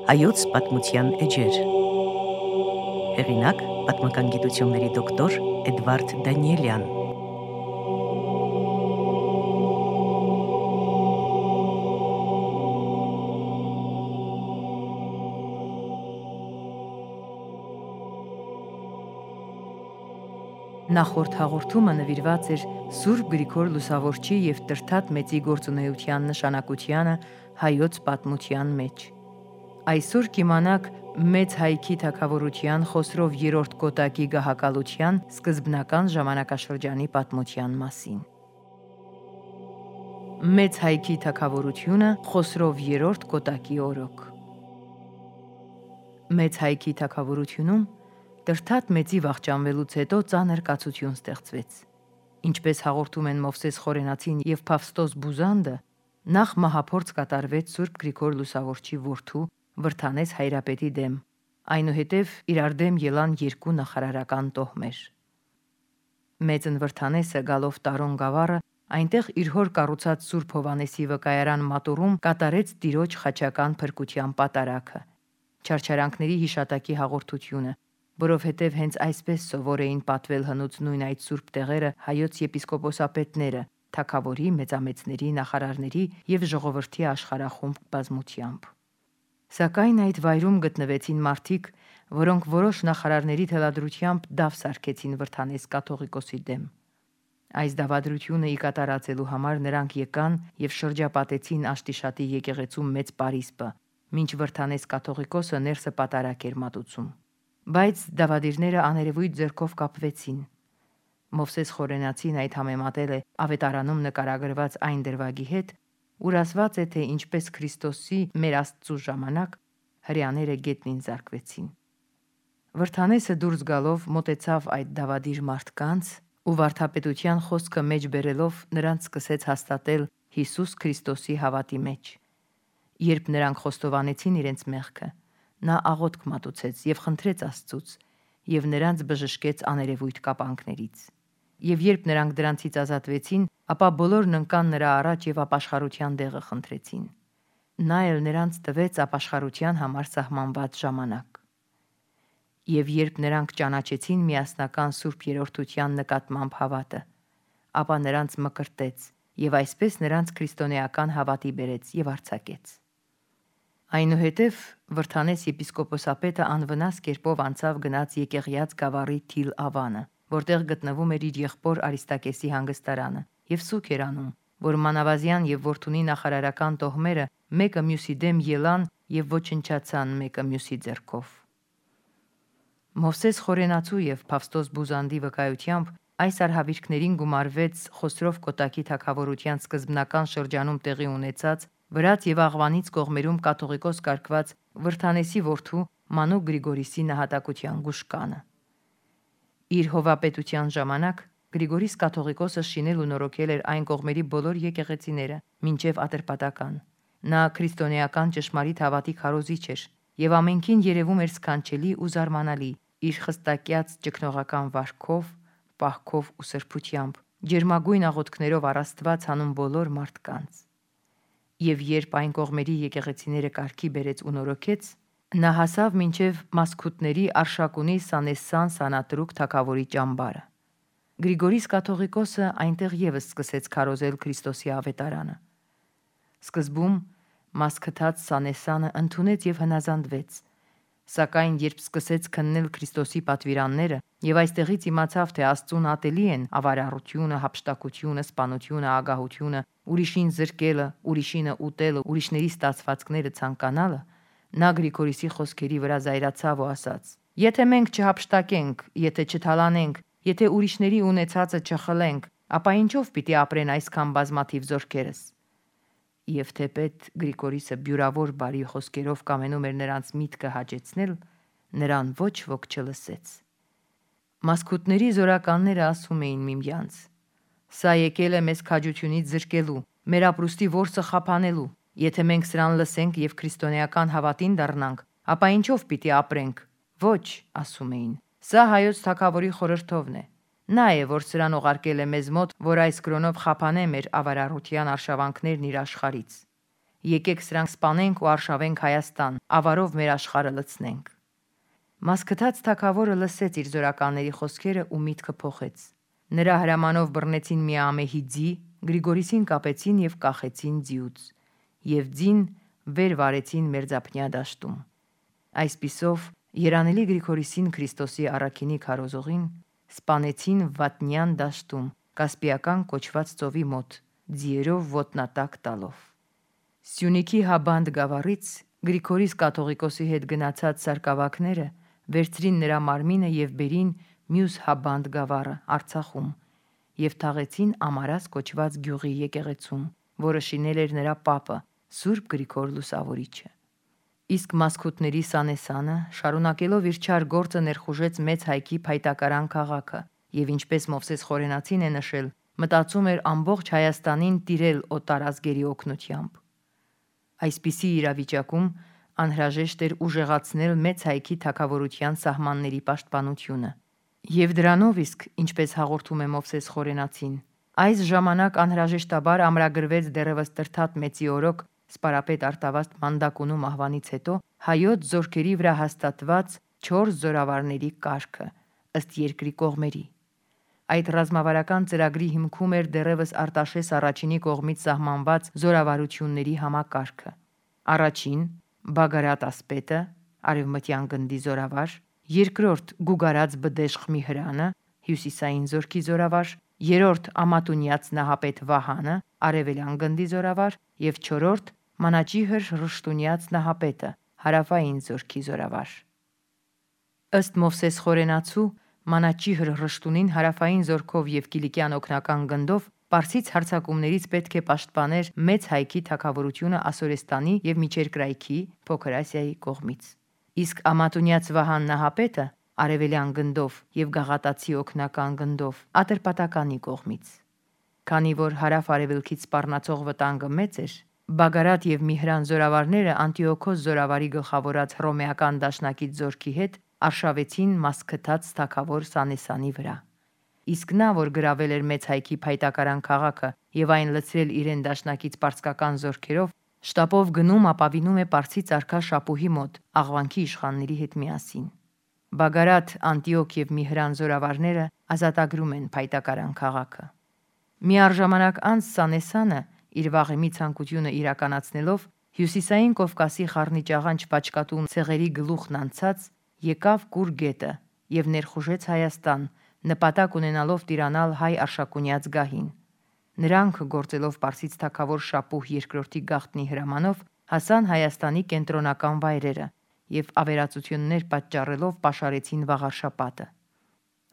Հայոց պատմության էջեր։ Հեղինակ պատմական գիտությունների դոկտոր Էդվարդ Դանիելյան։ Նախորդ հաղորդումը նվիրված էր Սուրբ Գրիգոր Լուսավորչի և Տրդատ Մեծի գործունեության նշանակությանը հայոց պատմության մեջ։ Այսօր կիմանաք Մեծ Հայքի թագավորության Խոսրով III Կոտակի գահակալության սկզբնական ժամանակաշրջանի պատմության մասին։ Մեծ Հայքի թագավորությունը Խոսրով III Կոտակի օրոք։ Մեծ Հայքի թագավորությունում Տրդատ Մեծի վախճանվելուց հետո ծանր կացություն ստեղծվեց։ Ինչպես հաղորդում են Մովսես Խորենացին և Փավստոս Բուզանդը, նախ մահափորձ կատարվեց Սուրբ Գրիգոր Լուսավորչի որդու Վրթանես Հայրապետի դեմ, այնուհետև իրար դեմ ելան երկու նախարարական տոհմեր։ Մեծն Վրթանեսը գալով Տարոն գավառը, այնտեղ իր հոր կառուցած Սուրբ Հովհաննեսի վկայարան մատուռում կատարեց տիրոջ խաչական փրկության պատարագը, չարչարանքների հիշատակի հաղորդությունը, որովհետև հենց այսպես սովոր էին պատվել հնուց նույն այդ սուրբ տեղերը հայոց եպիսկոպոսապետները, թագավորի, մեծամեծների, նախարարների և ժողովրդի աշխարհախումբ բազմությամբ։ Սակայն այդ վայրում գտնվեցին մարդիկ, որոնք որոշ նախարարների թելադրությամբ դավ սարքեցին Վրթանես կաթողիկոսի դեմ։ Այս դավադրությունը ի կատարածելու համար նրանք եկան և շրջապատեցին Աշտիշատի եկեղեցու մեծ պարիսպը, մինչ Վրթանես կաթողիկոսը ներսը պատարագ էր մատուցում։ Բայց դավադիրները աներևույթ ձեռքով կապվեցին։ Մովսես Խորենացին այդ համեմատել է Ավետարանում նկարագրված այն դրվագի հետ, ուր ասված է, թե ինչպես Քրիստոսի մեր Աստծու ժամանակ հրեաները գետնին զարկվեցին։ Վրթանեսը դուրս գալով մոտեցավ այդ դավադիր մարդկանց ու վարդապետության խոսքը մեջ բերելով նրանց սկսեց հաստատել Հիսուս Քրիստոսի հավատի մեջ։ Երբ նրանք խոստովանեցին իրենց մեղքը, նա աղոթք մատուցեց և խնդրեց Աստծուց և նրանց բժշկեց աներևույթ կապանքներից։ Եվ երբ նրանք դրանցից ազատվեցին, ապա բոլորն ընկան նրա առաջ և ապաշխարության դեղը խնդրեցին։ Նա էլ նրանց տվեց ապաշխարության համար սահմանված ժամանակ։ Եվ երբ նրանք ճանաչեցին միասնական Սուրբ Երրորդության նկատմամբ հավատը, ապա նրանց մկրտեց և այսպես նրանց քրիստոնեական հավատի բերեց և արձակեց։ Այնուհետև Վրթանես եպիսկոպոսապետը անվնաս կերպով անցավ գնաց Եկեղյաց գավառի Թիլ Ավանը, որտեղ գտնվում էր իր եղբոր Արիստակեսի հանգստարանը, և սուգ էր անում, որ Մանավազյան և Որդունի նախարարական տոհմերը մեկը մյուսի դեմ ելան և ոչնչացան մեկը մյուսի ձեռքով։ Մովսես Խորենացու և Փավստոս Բուզանդի վկայությամբ այս արհավիրքներին գումարվեց Խոսրով Կոտակի թագավորության սկզբնական շրջանում տեղի ունեցած Վրաց և Աղվանից կողմերում կաթողիկոս կարգված Վրթանեսի որդու Մանուկ Գրիգորիսի նահատակության գուշկանը։ Իր հովապետության ժամանակ Գրիգորիս կաթողիկոսը շինել ու նորոգել էր այն կողմերի բոլոր եկեղեցիները, մինչև Ատրպատական։ Նա քրիստոնեական ճշմարիտ հավատի քարոզիչ էր և ամենքին երևում էր սքանչելի ու զարմանալի իր խստակյաց ճգնողական վարքով, պահքով ու սրբությամբ, ջերմագույն աղոթքներով առ Աստված հանում բոլոր մարդկանց։ Եվ երբ այն կողմերի եկեղեցիները կարգի բերեց ու նորոգեց, նա հասավ մինչև Մասքութների Արշակունի Սանեսան Սանատրուկ թագավորի ճամբարը։ Գրիգորիս կաթողիկոսը այնտեղ ևս սկսեց քարոզել Քրիստոսի ավետարանը։ Սկզբում Մասքթած Սանեսանը ընդունեց և հնազանդվեց, սակայն երբ սկսեց քննել Քրիստոսի պատվիրանները և այստեղից իմացավ, թե Աստծուն ատելի են ավարառությունը, հափշտակությունը, սպանությունը, ագահությունը, ուրիշին զրկելը, ուրիշինը ուտելը, ուրիշների ստացվածքները ցանկանալը, նա Գրիգորիսի խոսքերի վրա զայրացավ ու ասաց. «Եթե մենք չհափշտակենք, եթե չթալանենք, եթե ուրիշների ունեցածը չխլենք, ապա ինչով պիտի ապրեն այսքան բազմաթիվ զորքերս»։ Եվ թեպետ Գրիգորիսը բյուրավոր բարի խոսքերով կամենում էր նրանց միտքը հաճեցնել, նրան ոչ ոք չլսեց։ Մասքութների զորականները ասում էին միմյանց. «Սա եկել է մեզ քաջությունից զրկելու, մեր ապրուստի որսը խափանելու։ Եթե մենք սրան լսենք և քրիստոնեական հավատին դառնանք, ապա ինչով պիտի ապրենք»։ «Ոչ», ասում էին, «սա հայոց թագավորի խորհրդովն է։ Նա է, որ սրան ուղարկել է մեզ մոտ, որ այս կրոնով խափանե մեր ավարառության արշավանքներն իր աշխարհից»։ եկեք սրանք սպանենք ու արշավենք Հայաստան, ավարով մեր աշխարհը լցնենք։ Մասկթած թագավորը լսեց իր զորականների խոսքերը ու միտքը փոխեց։ Նրա հրամանով բռնեցին Միամեհի ձի, Գրիգորիսին կապեցին եւ կախեցին ձիուց, եւ ձին վեր վարեցին Մերձափնյա դաշտում։ Այսպիսով երանելի Գրիգորիսին Քրիստոսի առաքինի քարոզողին սպանեցին Վատնյան դաշտում, Կասպիական կոչված ծովի մոտ, ձիերով ոտնատակ տալով։ Սյունիքի Հաբանդ գավառից Գրիգորիս կաթողիկոսի հետ գնացած սարկավակները վերցրին նրա մարմինը եւ բերին մյուս Հաբանդ գավառը Արցախում եւ թաղեցին Ամարաս կոչված գյուղի եկեղեցում, որը շինել էր նրա պապը Սուրբ Գրիգոր Լուսավորիչը։ Իսկ Մասկութների Սանեսանը շարունակելով իր չար գործը ներխուժեց Մեծ Հայքի Փայտակարան քաղաքը եւ ինչպես Մովսես Խորենացին է նշել, մտածում էր ամբողջ Հայաստանին տիրել օտարազգերի օգնությամբ։ Այսպիսի իրավիճակում անհրաժեշտ էր ուժեղացնել Մեծ Հայքի թագավորության սահմանների պաշտպանությունը։ Եվ դրանով իսկ, ինչպես հաղորդում է Մովսես Խորենացին, այս ժամանակ անհրաժեշտաբար ամրագրվեց դեռևս Տրթատ Մեծի օրոք սպարապետ Արտավազդ Մանդակունու մահվանից հետո հայոց զորքերի վրա հաստատված 4 զորավարների կարգը ըստ երկրի կողմերի։ Այդ ռազմավարական ծրագրի հիմքում էր դեռևս Արտաշես առաջինի կողմից սահմանված զորավարությունների համակարգը։ Առաջին Բագարատ ասպետը, Արևմտյան գնդի զորավար, երկրորդ Գուգարած Բդեշխ Միհրանը, Հյուսիսային զորքի զորավար, երրորդ Ամատունյաց Նահապետ Վահանը, Արևելյան գնդի զորավար եւ չորրորդ Մանաճիհր Ռշտունյաց Նահապետը, Հարավային զորքի զորավար։ Ըստ Մովսես Խորենացու Մանաճիհր Ռշտունին հարավային զորքով եւ Կիլիկյան օգնական գնդով Պարսից հարձակումներից պետք է պաշտպաներ Մեծ Հայքի թագավորությունը Ասորեստանի եւ Միջերկրայքի Փոքր Ասիայի կողմից։ Իսկ Ամատունյաց Վահան Նահապետը Արևելյան գնդով եւ Գաղատացի օգնական գնդով Ատրպատականի կողմից։ Քանի որ հարավ-արևելքից սպառնացող վտանգը մեծ էր, Բագարատ եւ Միհրան զորավարները Անտիոքոս զորավարի գլխավորած հռոմեական դաշնակից զորքի հետ արշավեցին Մասկթած թագավոր Սանեսանի վրա։ Իսկ նա, որ գրավել էր Մեծ Հայքի Փայտակարան քաղաքը եւ այն լցրել իրեն դաշնակից պարսկական զորքերով, շտապով գնում ապավինում է Պարսից արքա Շապուհի մոտ աղվանքի իշխանների հետ միասին։ Բագարատ, Անտիոք եւ Միհրան զորավարները ազատագրում են Փայտակարան քաղաքը։ Միառժամանակ անց Սանեսանը իր վաղեմի ցանկությունը իրականացնելով Հյուսիսային Կովկասի խառնիճաղանճ Պաչկատուն ցեղերի գլուխն անցած եկավ Կուր գետը եւ ներխուժեց Հայաստան, նպատակ ունենալով տիրանալ հայ Արշակունյաց գահին։ Նրանք գործելով Պարսից թագավոր Շապուհ II-ի գաղտնի հրամանով հասան Հայաստանի կենտրոնական վայրերը եւ ավերածություններ պատճառելով պաշարեցին Վաղարշապատը։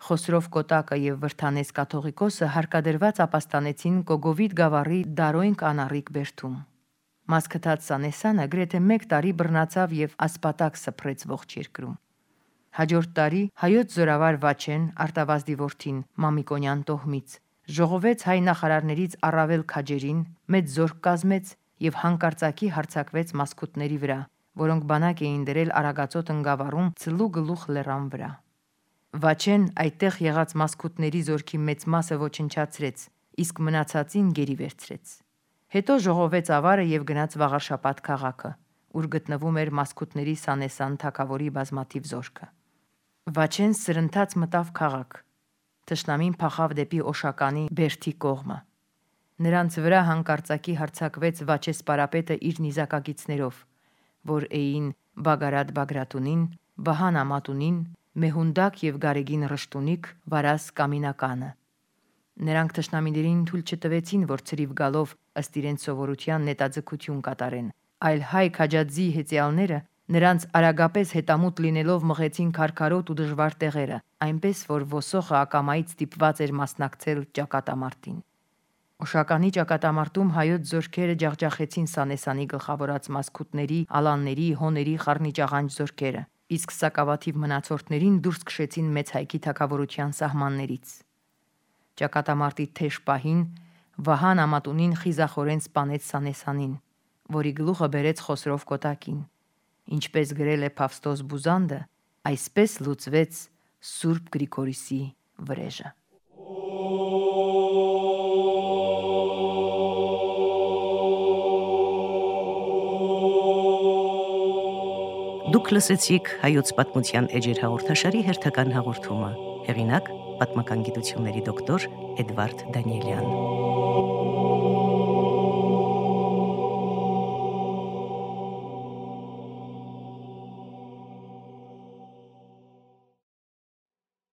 Խոսրով Կոտակը եւ Վրթանես կաթողիկոսը հարկադրված ապաստանեցին Կոգովիդ գավառի Դարոյն կանառիկ բերդում։ Մասկթած Սանեսանը գրեթե 1 տարի բռնացավ եւ ասպատակ սփռեց ողջ երկրում։ Հաջորդ տարի հայոց զորավար Վաչեն Արտավազդի որդին Մամիկոնյան տոհմից ժողովեց հայ նախարարներից առավել քաջերին, մեծ զորք կազմեց եւ հանկարծակի հարձակվեց Մասկութների վրա, որոնք բանակ էին դրել Արագածոտ ընկավառում Ցլու գլուխ լեռան վրա։ Վաչեն այդտեղ եղած Մասկութների զորքի մեծ մասը ոչնչացրեց, իսկ մնացածին գերի վերցրեց։ Հետո ժողովեց ավարը եւ գնաց Վաղարշապատ քաղաքը, ուր գտնվում էր Մասկութների Սանեսան թագավորի բազմաթիվ զորքը։ Վաչեն սրընթաց մտավ քաղաք։ Թշնամին փախավ դեպի Օշականի Բերդի կողմը։ Նրանց վրա հանկարծակի հարձակվեց Վաչե սպարապետը իր նիզակագիցներով, որ էին Բագարատ Բագրատունին, Վահան Ամատունին, Մեհունդակ եւ Գարեգին Ռշտունիկ, Վարաս Կամինականը։ Նրանք թշնամիներին թույլ չտվեցին, որ ցրիվ գալով ըստ իրենց սովորության նետաձգություն կատարեն, այլ հայ քաջածի հեծյալները նրանց արագապես հետամուտ լինելով մղեցին քարքարոտ ու դժվար տեղերը, այնպես որ ոսոխը ակամայից ստիպված էր մասնակցել ճակատամարտին։ Օշականի ճակատամարտում հայոց զորքերը ջախջախեցին Սանեսանի գլխավորած Մասկութների, Ալանների, Հոների խառնիճաղանճ զորքերը, իսկ սակավաթիվ մնացորդներին դուրս քշեցին Մեծ Հայքի թագավորության սահմաններից։ Ճակատամարտի թեժ պահին Վահան Ամատունին խիզախորեն սպանեց Սանեսանին, որի գլուխը բերեց Խոսրով Կոտակին։ Ինչպես գրել է Փավստոս Բուզանդը, այսպես լուծվեց Սուրբ Գրիգորիսի վրեժը։ Դուք լսեցիք հայոց պատմության էջեր հաղորդաշարի հերթական հաղորդումը։ Հեղինակ պատմական գիտությունների դոկտոր Էդվարդ Դանիելյան։